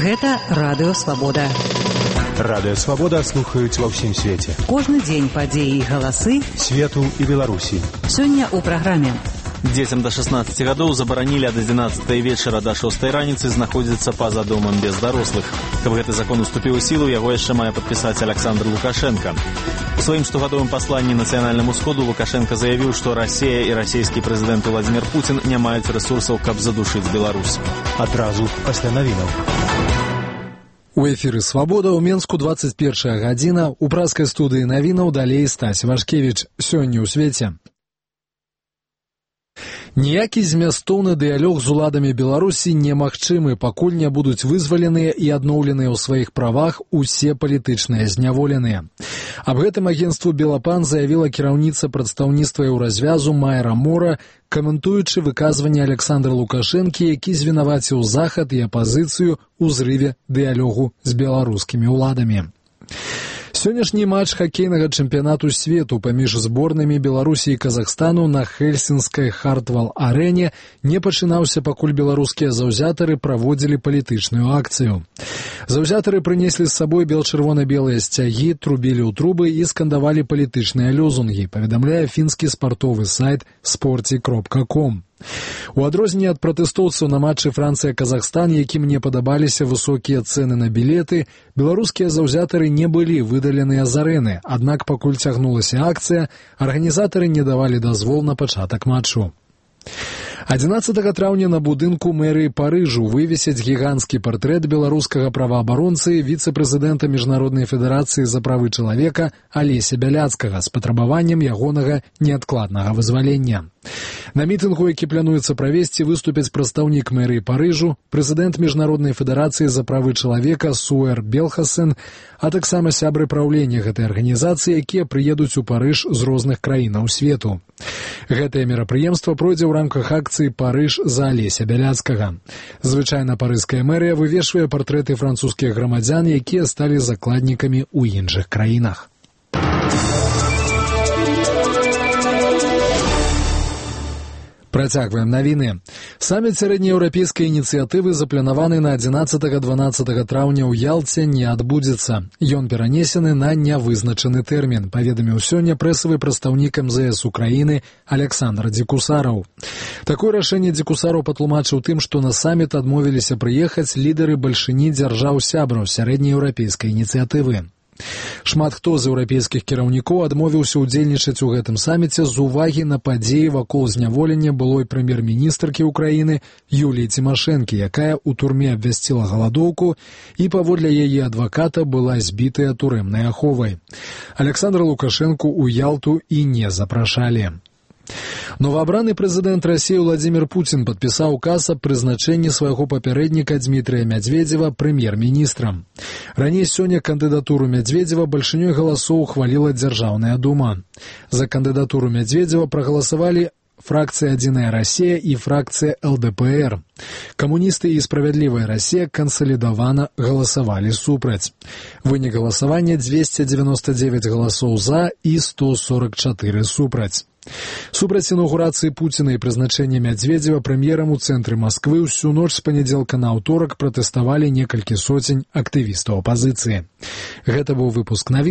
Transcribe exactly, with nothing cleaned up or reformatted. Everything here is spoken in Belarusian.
Гэта Радыё Свабода. Радыё Свабода слухаюць ва ўсім свеце. Кожны дзень падзеі і галасы свету і Беларусі. Сёння ў праграме. Дзецям да шаснаццаці гадоў забаранілі ад адзінаццатай вечара да шостай раніцы знаходзіцца па-за домам без дарослых. Каб гэты закон уступіў у сілу, яго яшчэ мае падпісаць Александр Лукашенко. У сваім штогадовым пасланні нацыянальнаму сходу Лукашенко заявіў, што Расія і расійскі прэзідэнт Владзімір Пуцін не маюць рэсурсаў, каб задушыць Беларусь. Адразу пасля навінаў. У эфіры «Свабода» ў Менску дваццаць першая гадзіна. У праскай студыі навінаў далей Стась Вашкевіч. Сёння ў свеце. Ніякі змястоўны дыялог з уладамі Беларусі немагчымы, пакуль не будуць вызваленыя і адноўленыя ў сваіх правах усе палітычныя зняволеныя. Аб гэтым агенцтву «Белапан» заявіла кіраўніца прадстаўніцтва еўразвязу Майра Мора, каментуючы выказванне Александра Лукашэнкі, які звінаваціў Захад і апазіцыю ў зрыве дыялогу з беларускімі ўладамі. Сённяшні матч хакейнага чэмпіянату свету паміж зборнымі Беларусі і Казахстану на Хельсінскай Хартвал-арэне не пачынаўся, пакуль беларускія заўзятары праводзілі палітычную акцыю. Заўзятары прынеслі з сабой бел-чырвона-белыя сцягі, трубілі ў трубы і скандавалі палітычныя лозунгі, паведамляе фінскі спартовы сайт спорти кропка ком. У адрозненне ад пратэстоўцаў на матчы Францыя-Казахстан, якім не падабаліся высокія цэны на білеты, беларускія заўзятары не былі выдаленыя з арэны, аднак пакуль цягнулася акцыя, арганізатары не давалі дазвол на пачатак матчу. адзінаццатага траўня на будынку мэрыі Парыжу вывесяць гіганцкі партрэт беларускага праваабаронцы, віцэ-прэзідэнта Міжнароднай федэрацыі за правы чалавека Алеся Бяляцкага з патрабаваннем ягонага неадкладнага вызвалення. На мітынгу, які плануецца правесці, выступяць прадстаўнік мэрыі Парыжу, прэзідэнт Міжнароднай федэрацыі за правы чалавека Суэр Белхасен, а таксама сябры праўлення гэтай арганізацыі, якія прыедуць у Парыж з розных краінаў свету. Гэтае мерапрыемства пройдзе ў рамках акцыі «Парыж за Алеся Бяляцкага». Звычайна парыжская мэрыя вывешвае партрэты французскіх грамадзян, якія сталі закладнікамі ў іншых краінах. Працягваем навіны. Саміт сярэднееўрапейскай ініцыятывы запланаваны на адзінаццатага-дванаццатага траўня ў Ялце не адбудзецца. Ён перанесены на нявызначаны тэрмін, паведаміў сёння прэсавы прадстаўнік эм зэ эс Украіны Александр Дзекусараў. Такое рашэнне Дзекусараў патлумачыў тым, што на саміт адмовіліся прыехаць лідары бальшыні дзяржаў-сябраў сярэднееўрапейскай ініцыятывы. Шмат хто з еўрапейскіх кіраўнікоў адмовіўся ўдзельнічаць у гэтым саміце з увагі на падзеі вакол зняволення былой прэм'ер-міністркі ўкраіны Юліі Цімашэнкі, якая ў турме абвясціла галадоўку і паводле яе адваката была збітая турэмнай аховай. Александра Лукашэнку ў Ялту і не запрашалі. Новаабраны прэзідэнт Расіі Владзімір Пуцін падпісаў указ аб прызначэнні свайго папярэдніка Дмітрыя Мядзведзева прэм'ер-міністрам. Раней сёння кандыдатуру Мядзведзева бальшынёй галасоў ухваліла Дзяржаўная дума. За кандыдатуру Мядзведзева прагаласавалі фракцыя «Адзіная Расія» і фракцыя эл дэ пэ эр. Камуністы і «Справядлівая Расія» кансалідавана галасавалі супраць. Вынік галасавання дзвесце дзевяноста дзевяць галасоў за і сто сорак чатыры супраць. Супраць інаўгурацыі Пуціна і прызначэння Мядзведзева прэм'ерам у цэнтры Масквы ўсю ноч з панядзелка на аўторак пратэставалі некалькі соцень актывістаў апазіцыі. Гэта быў выпуск навін.